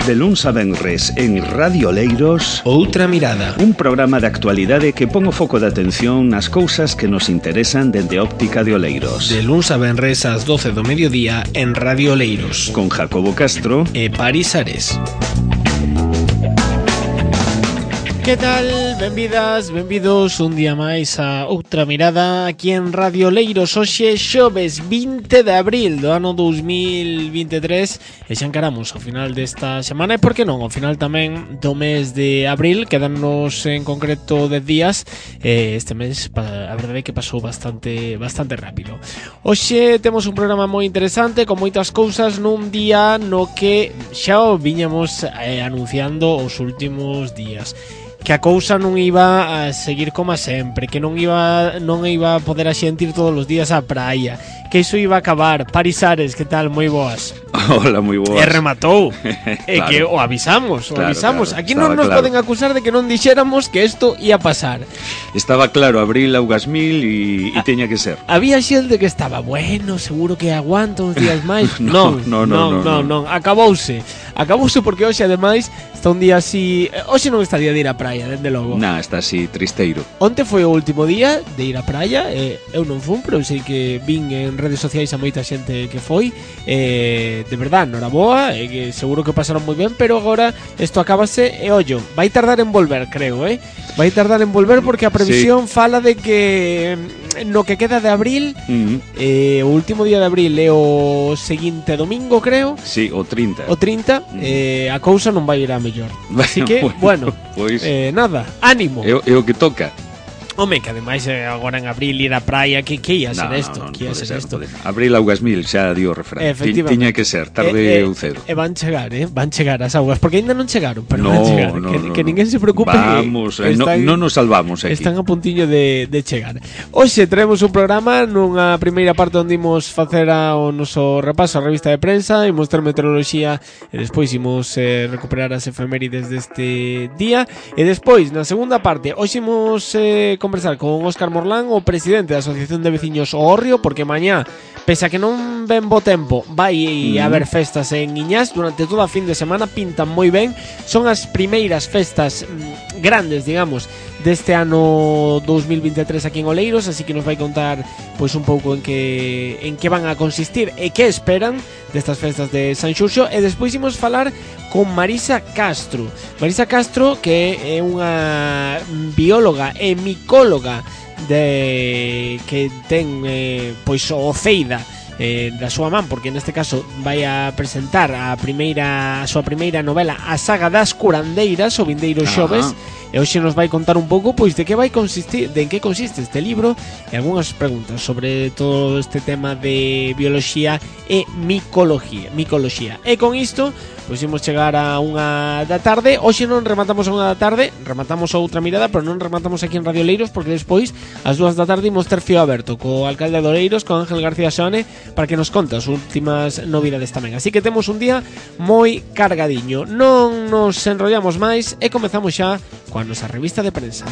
De luns a venres en Radio Oleiros, Outra Mirada, un programa de actualidade que pon o foco de atención nas cousas que nos interesan dende óptica de Oleiros. de luns a venres ás 12 do mediodía en Radio Oleiros, Con Jacobo Castro e Paris Ares. Que tal? Benvidas, benvidos un día máis a Outra Mirada aquí en Radio Oleiros. Hoxe xoves 20 de abril do ano 2023 e xa encaramos ao final desta semana e por que non, ao final tamén do mes de abril. Quedannos en concreto 10 días e este mes a verdade é que pasou bastante rápido. Hoxe temos un programa moi interesante con moitas cousas nun día no que xa o viñamos anunciando os últimos días, que a cousa non iba a seguir como sempre, que non iba a poder a xente ir todos os días á praia, que iso iba a acabar. Paris Ares, que tal? Moi boas. Hola, moi boas. E rematou. E Claro. que o avisamos. Claro, Aquí estaba non nos claro. poden acusar de que non dixéramos que isto ia pasar. Estaba claro, abril augas mil e teña que ser. Había xente que estaba, bueno, seguro que aguanta uns días máis. Non. Non, acabouse porque hoxe ademais está un día así. Hoxe non está día de ir á praia, dende logo. Nah, está así tristeiro. Onte foi o último día de ir á praia. Eu non fun, pero sei que vin en redes sociais a moita xente que foi. De verdad, noraboa, que seguro que pasaron moi ben, pero agora isto acábase e ollo, vai tardar en volver, creo, vai tardar en volver porque a previsión fala de que no que queda de abril, o último día de abril é o seguinte domingo, creo. Sí, o 30. O 30, a cousa non vai ir a mellor. Así que, bueno, pois nada, ánimo. é o que toca. Home, que ademais agora en abril ir á praia, que ia ser isto? Non Que ia pode ser ser, isto? pode ser. Abril augas mil, xa dio o refrán. Efectivamente. Tiña que ser, tarde ou cedo. E van chegar as augas, porque ainda non chegaron, pero No, van chegar. no, que ninguén se preocupe. Vamos, que non nos salvamos aquí. Están a puntiño de chegar. Hoxe traemos un programa nunha primeira parte onde imos facer o noso repaso a revista de prensa, imos ter meteoroloxía e despois imos recuperar as efemérides deste día. E despois, na segunda parte, hoxe imos conversar con Óscar Morlán, o presidente da Asociación de Veciños O Hórreo, porque mañá, pese a que non ven bo tempo, vai haber festas en Iñás durante toda a fin de semana, pintan moi ben. Son as primeiras festas grandes, digamos, deste ano 2023 aquí en Oleiros, así que nos vai contar pois un pouco en que van a consistir e que esperan destas festas de San Xurxo. E despois imos falar con Marisa Castro. Marisa Castro, que é unha bióloga e micóloga que ten pois o Ceida da súa man, porque neste caso vai a presentar a súa primeira novela, a saga das curandeiras, o vindeiro xoves. E hoxe nos vai contar un pouco pois de en que consiste este libro e algunhas preguntas sobre todo este tema de bioloxía e micoloxía. E con isto pois imos chegar a 1 da tarde. Hoxe non rematamos a 1 da tarde, rematamos a Outra Mirada, pero non rematamos aquí en Radio Oleiros, porque despois ás 2 da tarde imos ter fío aberto co alcalde de Oleiros, con Ángel García Xone, para que nos conte as últimas novidades tamén. Así que temos un día moi cargadiño. Non nos enrollamos máis e comezamos xa coa nosa revista de prensa.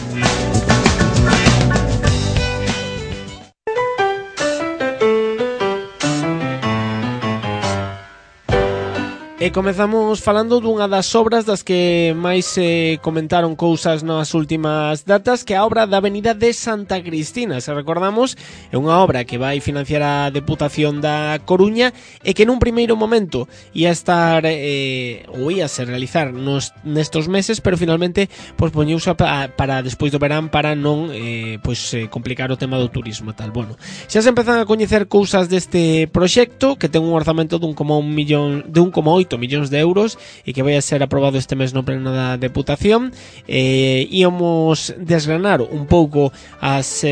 E comezamos falando dunha das obras das que máis se comentaron cousas nas últimas datas, que é a obra da Avenida de Santa Cristina. Se recordamos, é unha obra que vai financiar a Deputación da Coruña e que nun primeiro momento ia estar ou ia se realizar nestos meses, pero finalmente pospoñeuse para despois do verán para non complicar o tema do turismo e tal. Bueno, xa se empezan a coñecer cousas deste proxecto, que ten un orzamento de 1,8 millóns de euros e que vai a ser aprobado este mes no pleno da Deputación. Íamos desgranar un pouco as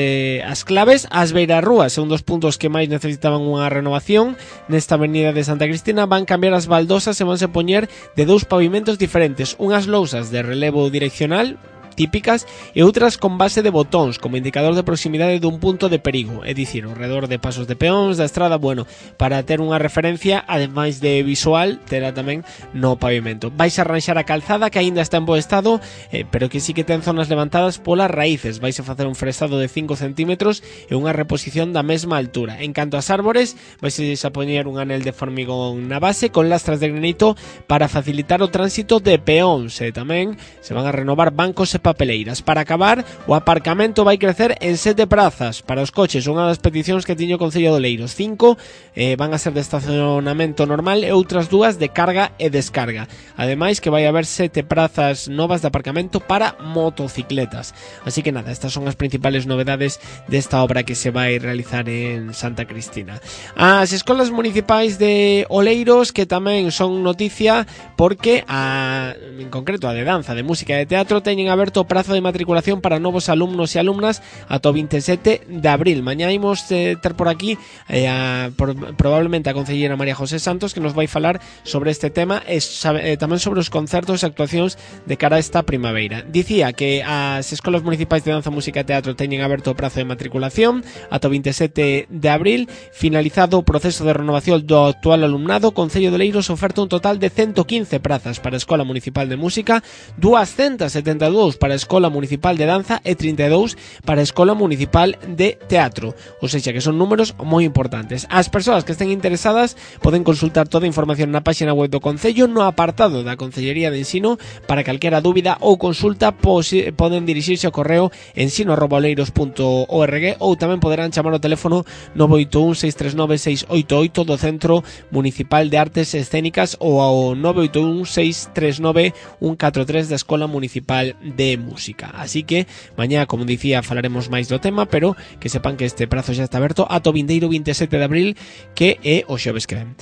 claves. As beirarrúas é un dos puntos que máis necesitaban unha renovación nesta Avenida de Santa Cristina. Van cambiar as baldosas e vanse poñer de 2 pavimentos diferentes, unhas lousas de relevo direccional típicas e outras con base de botóns como indicador de proximidade dun punto de perigo, é dicir, ao redor de pasos de peóns da estrada, bueno, para ter unha referencia, ademais de visual, terá tamén no pavimento. Vais a arranxar a calzada que aínda está en bo estado, pero que sí que ten zonas levantadas polas raíces. Vais a facer un frestado de 5 centímetros e unha reposición da mesma altura. En canto ás árbores, vais a poñer un anel de formigón na base con lastras de granito para facilitar o tránsito de peóns, e tamén se van a renovar bancos e papeleiras. Para acabar, o aparcamento vai crecer en 7 prazas para os coches, unha das peticións que tiño o Concello de Oleiros. 5 van a ser de estacionamento normal e outras 2 de carga e descarga. Ademais que vai haber 7 prazas novas de aparcamento para motocicletas. Así que nada, estas son as principales novedades desta obra que se vai realizar en Santa Cristina. As escolas municipais de Oleiros, que tamén son noticia porque en concreto a de danza, de música e de teatro teñen aberto o prazo de matriculación para novos alumnos e alumnas ata o 27 de abril. Mañá imos ter por aquí probablemente a concelleira María José Santos, que nos vai falar sobre este tema e tamén sobre os concertos e actuacións de cara a esta primavera. Dicía que as escolas municipais de danza, música e teatro teñen aberto o prazo de matriculación ata o 27 de abril. Finalizado o proceso de renovación do actual alumnado, o Concello de Oleiros oferta un total de 115 prazas para a Escola Municipal de Música, 272 para a Escola Municipal de Danza e 32 para a Escola Municipal de Teatro. Ou seja, que son números moi importantes. As persoas que estén interesadas poden consultar toda a información na página web do Concello no apartado da Concellería de Ensino. Para calquera dúbida ou consulta poden dirixirse ao correo ensino@oleiros.org ou tamén poderán chamar ao teléfono 981 639 688 do Centro Municipal de Artes Escénicas ou ao 981 639 143 da Escola Municipal de Música. Así que mañá, como dicía, falaremos máis do tema, pero que sepan que este prazo xa está aberto ata o vindeiro 27 de abril, que é o xoves que ven.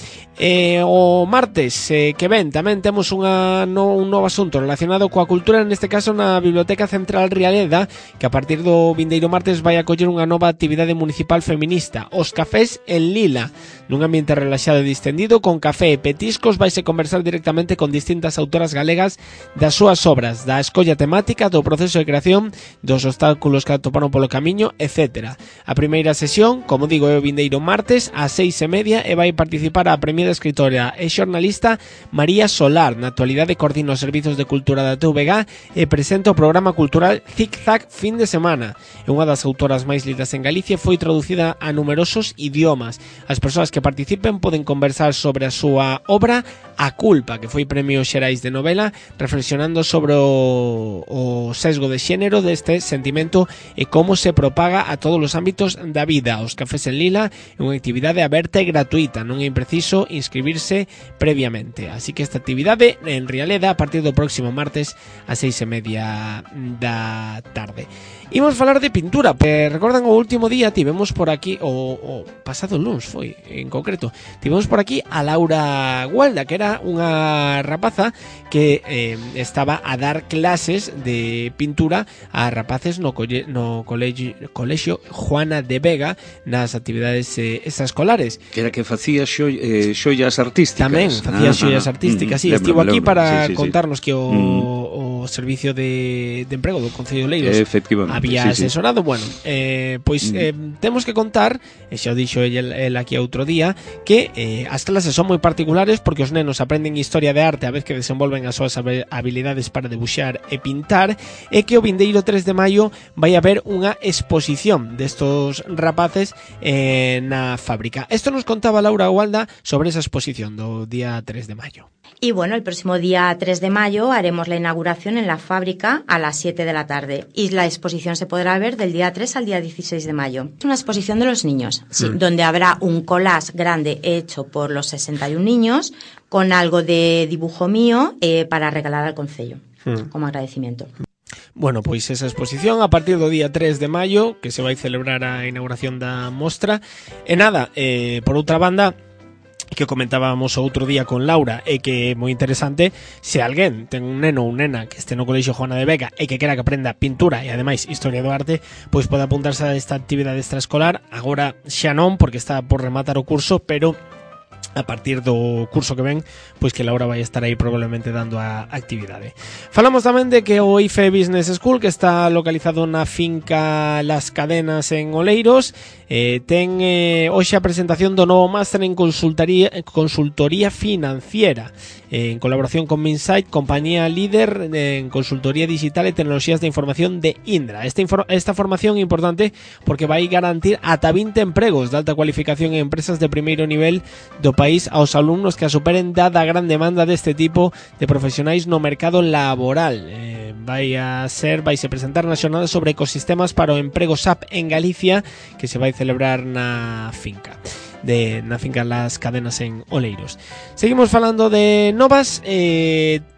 O martes que ven tamén temos un novo asunto relacionado coa cultura, neste caso na Biblioteca Central Rialeda, que a partir do vindeiro martes vai acoller unha nova actividade municipal feminista, os cafés en Lila. Nun ambiente relaxado e distendido, con café e petiscos, vaise conversar directamente con distintas autoras galegas das súas obras, da escolla temática, do proceso de creación, dos obstáculos que atoparon polo camiño, etc. A primeira sesión, como digo, é o vindeiro martes ás 6:30 e vai participar a premiada escritora e xornalista María Solar. Na actualidade coordina os servizos de cultura da TVG e presenta o programa cultural Zig Zag fin de semana. É unha das autoras máis lidas en Galicia, foi traducida a numerosos idiomas. As persoas que participen poden conversar sobre a súa obra A Culpa, que foi Premio Xerais de Novela, reflexionando sobre o sesgo de xénero deste sentimento e como se propaga a todos os ámbitos da vida. Os cafés en Lila é unha actividade aberta e gratuita, non é impreciso inscribirse previamente. Así que esta actividade en Rialeda a partir do próximo martes ás 6:30 da tarde. Imos falar de pintura, recordan o último día tivemos por aquí, o pasado luns foi en concreto, tivemos por aquí a Laura Gualda, que era unha rapaza que estaba a dar clases de pintura a rapaces no colexio Juana de Vega nas actividades extraescolares. Que era que facía xoias artísticas. Tamén facía xoias artísticas, sí, estivo aquí para contarnos que o servicio de emprego do Concello de Oleiros había asesorado. Bueno, pois temos que contar, e xa o dixo el aquí outro día, que as clases son moi particulares porque os nenos aprenden historia de arte a vez que desenvolven as súas habilidades para debuxar e pintar, e que o vindeiro 3 de maio vai haber unha exposición destos rapaces na fábrica. Isto nos contaba Laura Gualda sobre esa exposición do día 3 de mayo. Y bueno, el próximo día 3 de mayo haremos la inauguración en la fábrica a las 7 de la tarde y la exposición se podrá ver del día 3 al día 16 de mayo. Es una exposición de los niños, sí, donde habrá un collage grande hecho por los 61 niños con algo de dibujo mío para regalar al concello como agradecimiento. Bueno, pois esa exposición a partir do día 3 de maio, que se vai celebrar a inauguración da mostra. E nada, por outra banda, que comentábamos outro día con Laura e que é moi interesante, se alguén ten un neno ou nena que este no colexio Juana de Vega e que quera que aprenda pintura e ademais historia do arte, pois pode apuntarse a esta actividade extraescolar. Agora xa non, porque está por rematar o curso, pero a partir do curso que ven, pois que Laura vai estar aí probablemente dando a actividade. Falamos tamén de que o IFE Business School, que está localizado na finca Las Cadenas en Oleiros, ten hoxe a presentación do novo máster en consultoría financiera, en colaboración con Minsight, compañía líder en consultoría digital e tecnoloxías de información de Indra. Esta formación é importante porque vai garantir ata 20 empregos de alta cualificación en empresas de primeiro nivel do país aos alumnos que a superen dada a gran demanda deste tipo de profesionais no mercado laboral. Vaise presentar na xornada sobre ecosistemas para o emprego SAP en Galicia, que se vai celebrar na finca Las Cadenas en Oleiros. Seguimos falando de novas.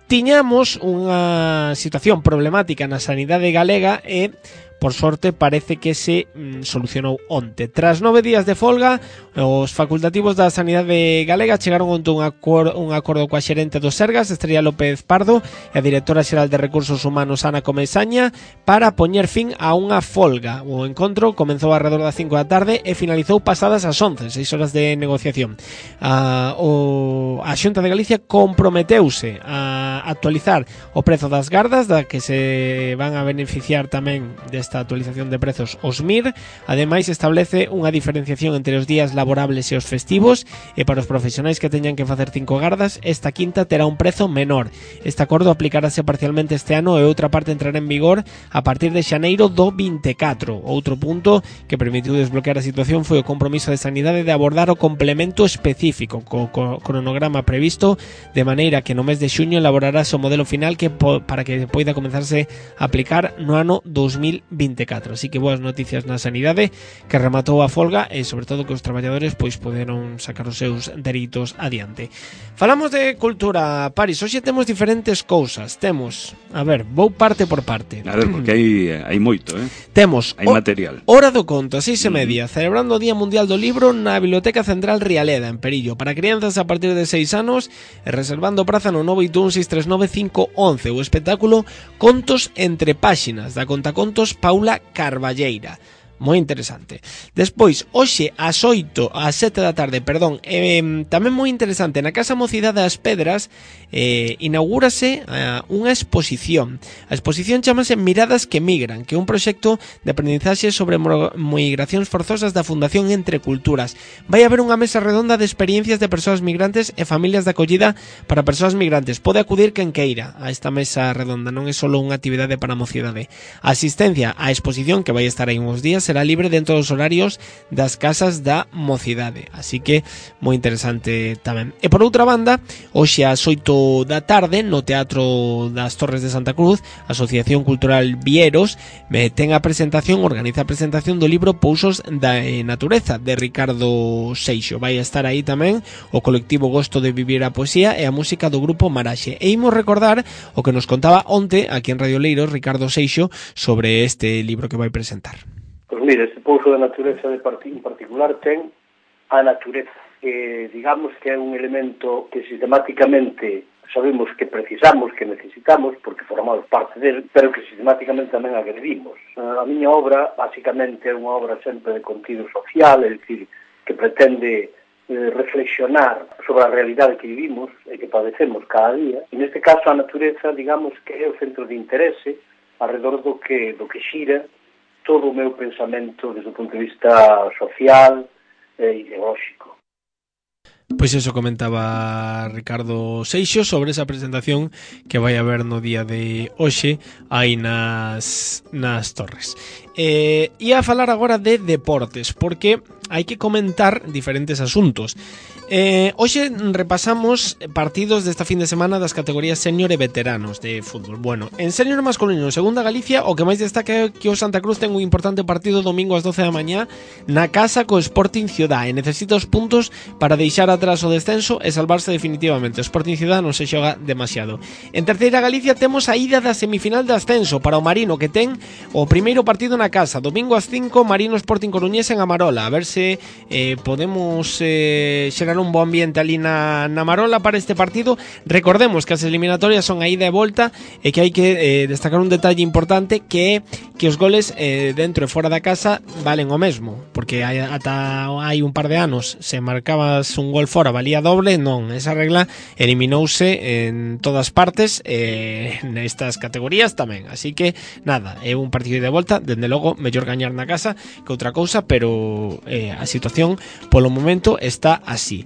Tiñamos unha situación problemática na sanidade galega e por sorte parece que se solucionou onte. Tras 9 días de folga, os facultativos da Sanidade Galega chegaron onte un acordo coa xerente do Sergas, Estrella López Pardo, e a directora xeral de Recursos Humanos, Ana Comesaña, para poñer fin a unha folga. O encontro comenzou alrededor das 5 da tarde e finalizou pasadas as 11, 6 horas de negociación. A Xunta de Galicia comprometeuse a actualizar o prezo das gardas, da que se van a beneficiar tamén desta actualización de prezos os MIR. Ademais, establece unha diferenciación entre os días laborables e os festivos, e para os profesionais que teñan que facer 5 gardas, esta quinta terá un prezo menor. Este acordo aplicarase parcialmente este ano e outra parte entrará en vigor a partir de xaneiro do 24. Outro punto que permitiu desbloquear a situación foi o compromiso de Sanidade de abordar o complemento específico co cronograma previsto, de maneira que no mes de xuño elaborarase o modelo final para que poida comenzarse a aplicar no ano 2024. Así que boas noticias na sanidade, que rematou a folga e sobre todo que os traballadores pois poderon sacar os seus dereitos adiante. Falamos de cultura, Paris. Hoxe temos diferentes cousas. Temos, a ver, vou parte por parte. A ver, porque hai moito, Temos hai material. Hora do conto, 6:30, celebrando o Día Mundial do Libro na Biblioteca Central Rialeda, en Perillo, para crianzas a partir de 6 anos, e reservando praza no 981-639-511. O espectáculo Contos entre páxinas, da contacontos Paula Carballeira. Moi interesante. Despois, hoxe ás 7 da tarde, tamén moi interesante, na Casa Mocidade das Pedras inaugúrase unha exposición. A exposición chamase Miradas que Migran, que é un proxecto de aprendizaxe sobre migracións forzosas da Fundación Entre Culturas. Vai haber unha mesa redonda de experiencias de persoas migrantes e familias de acollida para persoas migrantes. Pode acudir quen queira a esta mesa redonda, non é só unha actividade para a mocidade. A asistencia á exposición, que vai estar aí uns días, será libre dentro dos horarios das casas da mocidade, así que moi interesante tamén. E por outra banda, hoxe ás 8 da tarde no Teatro das Torres de Santa Cruz, a Asociación Cultural Vieros organiza a presentación do libro Pousos da Natureza, de Ricardo Seixo. Vai estar aí tamén o colectivo Gosto de Vivir a Poesía e a música do grupo Maraxe. E imos recordar o que nos contaba onte aquí en Radio Leiros Ricardo Seixo sobre este libro que vai presentar. Pois mira, este pouso da natureza en particular ten a natureza, que digamos que é un elemento que sistemáticamente sabemos que precisamos, que necesitamos, porque formamos parte del, pero que sistemáticamente tamén agredimos. A miña obra, basicamente, é unha obra sempre de contido social, é dicir, que pretende reflexionar sobre a realidade que vivimos e que padecemos cada día. E neste caso a natureza, digamos que é o centro de interese alrededor do que xira todo o meu pensamento desde o punto de vista social e ideolóxico. Pois eso comentaba Ricardo Seixo sobre esa presentación que vai haber no día de hoxe aí nas Torres. Ia a falar agora de deportes, porque hai que comentar diferentes asuntos. Hoxe repasamos partidos desta fin de semana das categorías senior e veteranos de fútbol. Bueno, en senior masculino, segunda Galicia, o que máis destaca é que o Santa Cruz ten un importante partido domingo ás 12 da mañá na casa co Sporting Ciudad, e necesita os puntos para deixar atrás o descenso e salvarse definitivamente. O Sporting Ciudad non se xoga demasiado. En terceira Galicia temos a ida da semifinal de ascenso para o Marino, que ten o primeiro partido na casa, domingo ás 5, Marino Sporting Coruñés en Amarola, a ver se hoxe podemos xerar un bo ambiente ali na Marola para este partido. Recordemos que as eliminatorias son a ida e volta e que hai que destacar un detalle importante, que é que os goles dentro e fora da casa valen o mesmo, porque ata hai un par de anos se marcabas un gol fora valía doble. Non, esa regla eliminouse en todas partes, nestas categorías tamén, así que nada, é un partido de volta. Dende logo, mellor gañar na casa que outra cousa, pero a situación polo momento está así.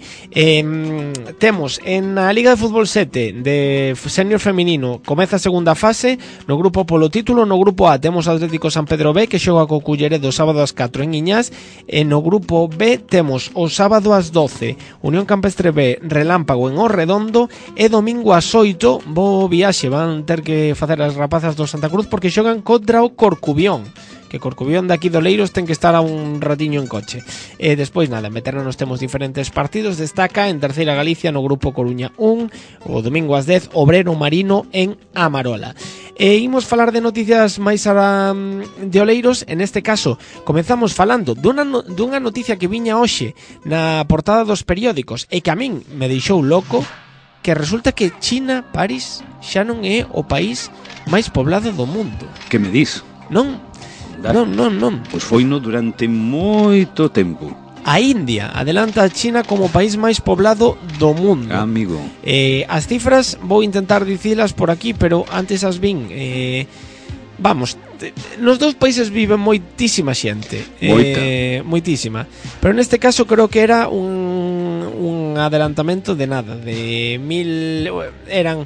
Temos en a Liga de Fútbol 7 de senior feminino, comeza a segunda fase no grupo polo título. No grupo A temos Atlético San Pedro B, que xoga co Culleredo sábado ás 4 en Iñás, e no grupo B temos o sábado ás 12 Unión Campestre B Relámpago en Orredondo, e domingo ás 8 bo viaxe van ter que facer as rapazas do Santa Cruz, porque xogan contra o Corcubión, que Corcubión de aquí do Leiros ten que estar a un ratiño en coche. E despois nada, meternos temos diferentes partidos. Destaca en Terceira Galicia no grupo Coruña 1, o domingo ás 10 Obrero Marino en Amarola. E imos falar de noticias máis de Oleiros. En este caso comezamos falando dunha noticia que viña hoxe na portada dos periódicos e que a min me deixou loco, que resulta que China, París, xa non é o país máis poblado do mundo. Que me dis? Non. Pois foino durante moito tempo. A India adelanta a China como o país máis poblado do mundo. Amigo. As cifras vou intentar dicilas por aquí, pero antes as vin. Vamos, nos dous países vive moitísima xente. Moitísima. Pero neste caso creo que era un adelantamento de nada, de 1.400.000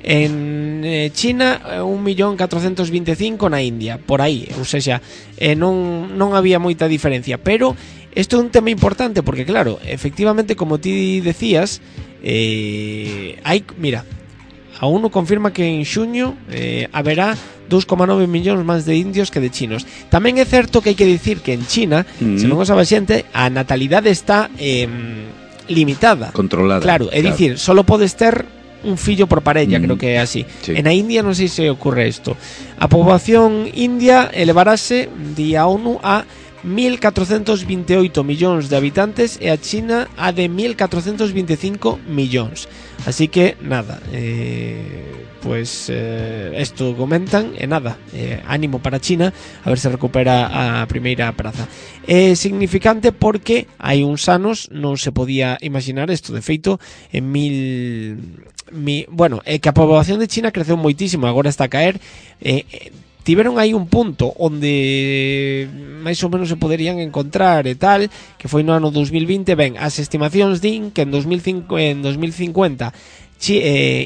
en China, 1.425.000 na India, por aí, ou seja, non había moita diferencia. Pero isto é un tema importante porque, claro, efectivamente, como ti decías, mira, a ONU confirma que en xuño haberá 2,9 millóns máis de indios que de chinos. Tamén é certo que hai que dicir que en China, se non o sabe a xente, a natalidade está limitada, controlada. Claro, é dicir, solo podes ter un fillo por parella, creo que é así. Sí. En a India non sei se ocurre isto. A poboación india elevarase, di a ONU, a 1.428 millóns de habitantes e a China a de 1.425 millóns. Así que nada, pues esto comentan e nada, ánimo para China, a ver se recupera a primeira praza. É significante porque hai uns anos non se podía imaginar isto. De feito, en bueno, é que a poboación de China creceu moitísimo, agora está a caer. Tiveron aí un punto onde máis ou menos se poderían encontrar e tal, que foi no ano 2020. Ben, as estimacións din que en 2050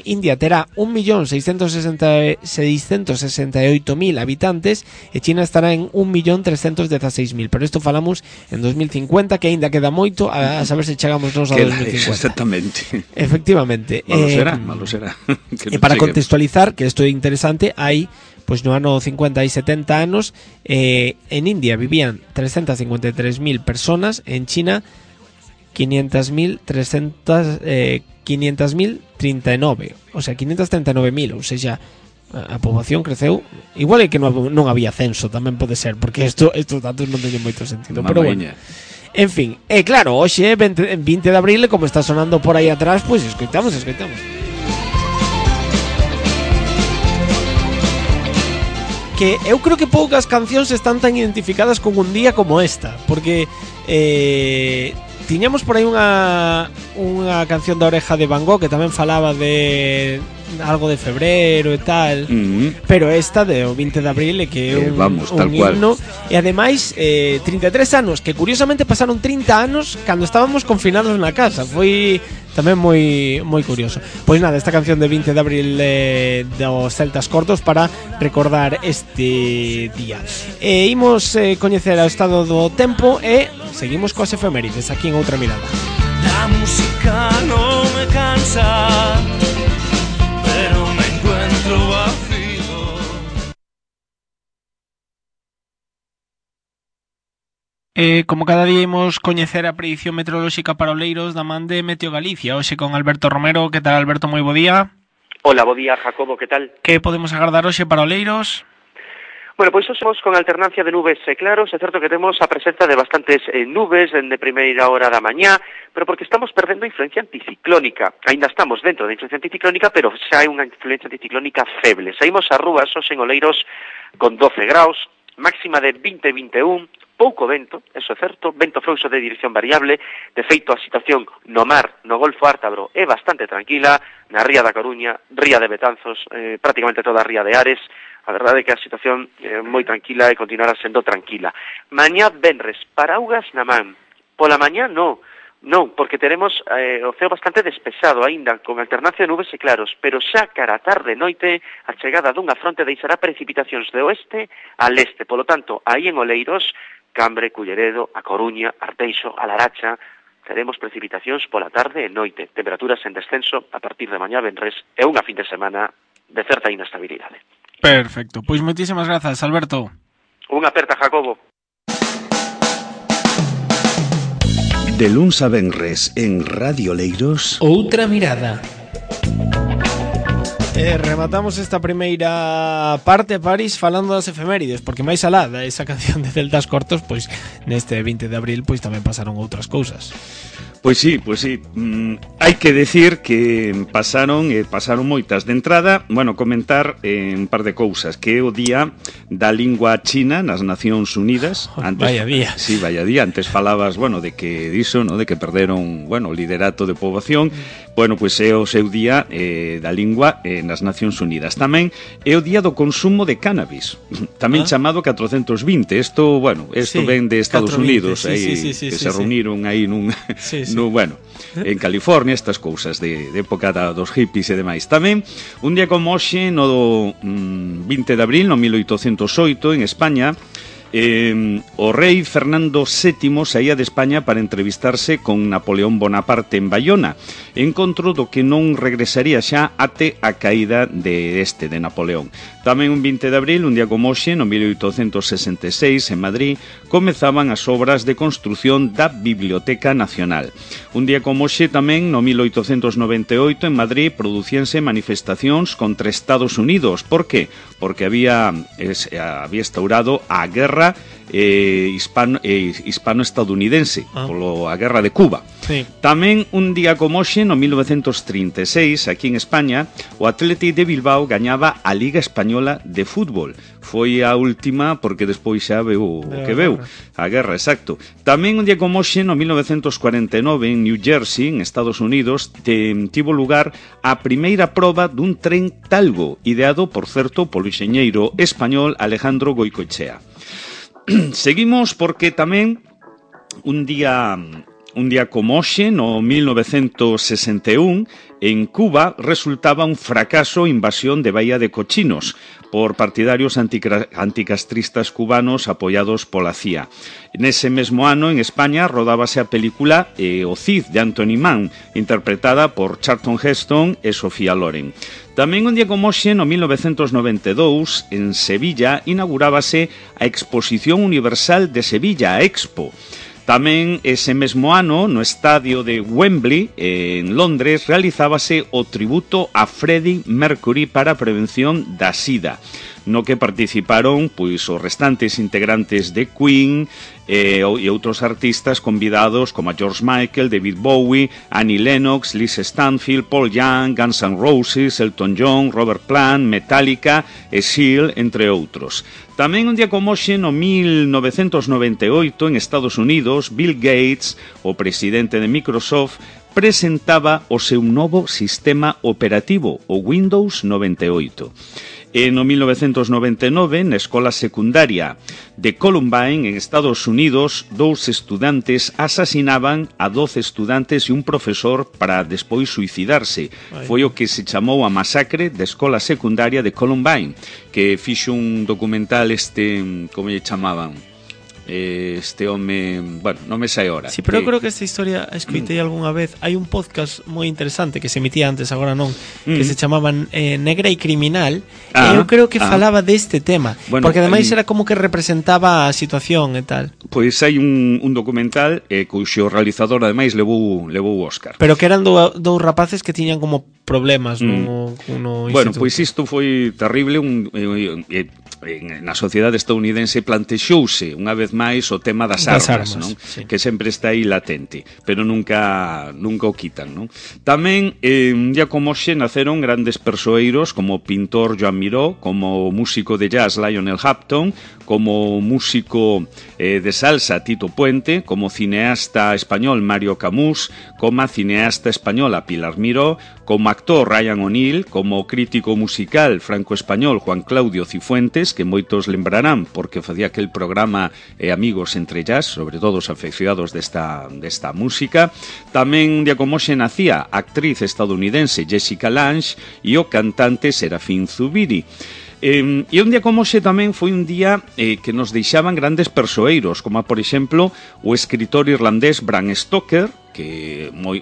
India terá 1.668.000 habitantes e China estará en 1.316.000. Pero isto falamos en 2050, que aínda queda moito a saber se chegamos nos a 2050. Exactamente. Efectivamente. Malo será. E para contextualizar, que isto é interesante, hai, pois no ano 50 e 70 anos, en India vivían 353.000 personas, en China 500.039, o sea, 539.000, ou seja, a poboación creceu. Igual é que non había censo, tamén pode ser, porque estos datos non teñen moito sentido. Pero bueno, en fin, claro, hoxe 20 de abril, como está sonando por aí atrás, pois escoitamos. Que eu creo que poucas cancións están tan identificadas con un día como esta, porque tiñamos por aí unha canción da Oreja de Van Gogh que tamén falaba de algo de febreiro e tal, pero esta de o 20 de abril é que é un himno. E ademais 33 anos, que curiosamente pasaron 30 anos cando estábamos confinados na casa. Foi tamén moi curioso. Pois nada, esta canción de 20 de abril dos Celtas Cortos para recordar este día. Imos coñecer o estado do tempo e seguimos coas efemérides aquí en Outra Mirada. La música no me cansa, pero me encuentro vacío. Como cada día imos coñecer a predición meteorolóxica para Oleiros da man de Meteo Galicia, hoxe con Alberto Romero. Que tal, Alberto? Moi bo día. Hola, bo día, Jacobo, que tal? Que podemos agardar hoxe para Oleiros? Bueno, pois somos con alternancia de nubes e claros. É certo que temos a presenza de bastantes nubes de primeira hora da mañá, pero porque estamos perdendo influencia anticiclónica. Ainda estamos dentro da influencia anticiclónica, pero xa hai unha influencia anticiclónica feble. Saímos ás rúas hoxe en Oleiros con 12 graus, máxima de 20-21, pouco vento, eso é certo, vento frouxo de dirección variable. De feito, a situación no mar, no Golfo Ártabro, é bastante tranquila, na ría da Coruña, ría de Betanzos, prácticamente toda a ría de Ares. A verdade é que a situación é moi tranquila e continuará sendo tranquila. Mañá venres, paraugas na man. Pola mañá non, porque teremos o ceo bastante despexado aínda, con alternancia de nubes e claros, pero xa cara a tarde e noite a chegada dunha fronte deixará precipitacións de oeste a leste. Polo tanto, aí en Oleiros, Cambre, Culleredo, A Coruña, Arteixo, A Laracha, teremos precipitacións pola tarde e noite, temperaturas en descenso a partir de mañá venres e unha fin de semana de certa inestabilidade. Perfecto, pois moitísimas grazas, Alberto. Unha aperta, Jacobo. De luns a venres en Radio Oleiros, Outra mirada. Rematamos esta primeira parte, París, falando das efemérides, porque máis alá da esa canción de Celtas Cortos, pois neste 20 de abril pois tamén pasaron outras cousas. Pois sí. Hai que decir que pasaron moitas. De entrada, comentar un par de cousas, que é o día da lingua china nas Nacións Unidas. Vaya día. Sí, vaya día. Antes falabas, de que diso, de que perderon, o liderato de poboación. Pois é o seu día da lingua nas Nacións Unidas. Tamén é o día do consumo de cannabis, tamén chamado 420. Isto ven de Estados 420, Unidos, que se reuniron aí nun... en California, estas cousas de época dos hippies e demais. Tamén, un día como hoxe, no 20 de abril, no 1808, en España, o rei Fernando VII saía de España para entrevistarse con Napoleón Bonaparte en Bayona, encontro do que non regresaría xa até a caída de Napoleón. Tamén un 20 de abril, un día como hoxe, no 1866, en Madrid, comezaban as obras de construción da Biblioteca Nacional. Un día como hoxe tamén, no 1898, en Madrid, producíanse manifestacións contra Estados Unidos. Por qué? Porque había instaurado a guerra hispano-estadounidense, polo a guerra de Cuba. Sí. Tamén un día como hoxe, no 1936, aquí en España, o Athletic de Bilbao gañaba a Liga Española de Fútbol. Foi a última porque despois xa veu o que veu, a guerra, exacto. Tamén un día como hoxe, no 1949, en New Jersey, en Estados Unidos, tivo lugar a primeira proba dun tren Talgo, ideado, por certo, polo enxeñeiro español Alejandro Goicoechea. Seguimos porque tamén un día como hoxe, no 1961, en Cuba resultaba un fracaso a invasión de Bahía de Cochinos por partidarios anticastristas cubanos apoiados pola CIA. Nese mesmo ano, en España, rodábase a película O Cid, de Anthony Mann, interpretada por Charlton Heston e Sofía Loren. Tamén un día como hoxe, no 1992, en Sevilla, inaugurábase a Exposición Universal de Sevilla, a Expo. Tamén ese mesmo ano, no estadio de Wembley, en Londres, realizábase o tributo a Freddie Mercury para a prevención da SIDA, no que participaron os restantes integrantes de Queen e outros artistas convidados como George Michael, David Bowie, Annie Lennox, Liz Stanfield, Paul Young, Guns N' Roses, Elton John, Robert Plant, Metallica e Seal, entre outros. Tamén un día como hoxe, no 1998, en Estados Unidos, Bill Gates, o presidente de Microsoft, presentaba o seu novo sistema operativo, o Windows 98. E no 1999, na escola secundaria de Columbine, en Estados Unidos, 2 estudantes asasinaban a 12 estudantes e un profesor para despois suicidarse. Foi o que se chamou a masacre da escola secundaria de Columbine, que fixo un documental como lle chamaban? este home, bueno, non me sai ahora. Sí, pero eu creo que esta historia escoitei algunha vez. Hai un podcast moi interesante que se emitía antes, agora non, que se chamaba Negra e Criminal, e eu creo que falaba deste tema, bueno, porque ademais era como que representaba a situación e tal. Pois hai un documental cuxo realizador ademais levou o Óscar. Pero que eran dous rapaces que tiñan como problemas no bueno, pois isto foi terrible. Na sociedade estadounidense plantexouse unha vez máis o tema das armas, non? Sí. Que sempre está aí latente, pero nunca o quitan, non? Tamén, un día como hoxe, naceron grandes persoeiros como o pintor Joan Miró, como o músico de jazz Lionel Hampton, como o músico de salsa Tito Puente, como cineasta español Mario Camus, como a cineasta española Pilar Miró, como actor Ryan O'Neill, como crítico musical franco-español Juan Claudio Cifuentes, que moitos lembrarán porque facía aquel programa Amigos entre Jazz, sobre todo os afeccionados desta música. Tamén un día como hoxe nacía a actriz estadounidense Jessica Lange e o cantante Serafín Zubiri. E un día como hoxe tamén foi un día que nos deixaban grandes persoeiros, como por exemplo o escritor irlandés Bram Stoker, que moi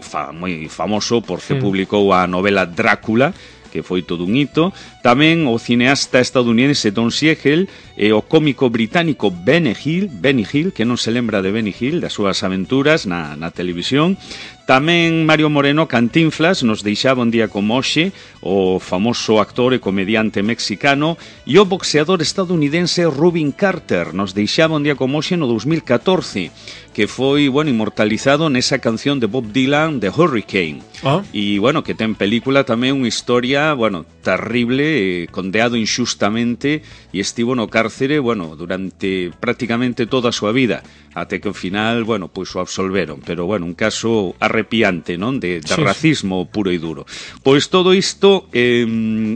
famoso porque publicou a novela Drácula, que foi todo un hito. Tamén o cineasta estadounidense Don Siegel e o cómico británico Benny Hill, que non se lembra de Benny Hill, das súas aventuras na televisión. Tamén Mario Moreno Cantinflas nos deixaba un día como hoxe, o famoso actor e comediante mexicano, e o boxeador estadounidense Rubin Carter nos deixaba un día como hoxe no 2014, que foi, bueno, inmortalizado nesa canción de Bob Dylan, The Hurricane. E, bueno, que ten película tamén unha historia, bueno, terrible, condeado injustamente, e estivo no cárcere, bueno, durante prácticamente toda a súa vida, até que ao final, bueno, pois o absolveron, pero, bueno, un caso arrepiante, non? De racismo puro e duro. Pois todo isto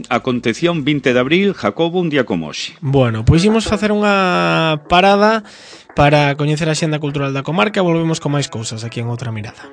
acontecía un 20 de abril, Jacobo, un día como hoxe. Bueno, pois imos facer unha parada para coñecer a xenda cultural da comarca. Volvemos con máis cousas aquí en Outra Mirada.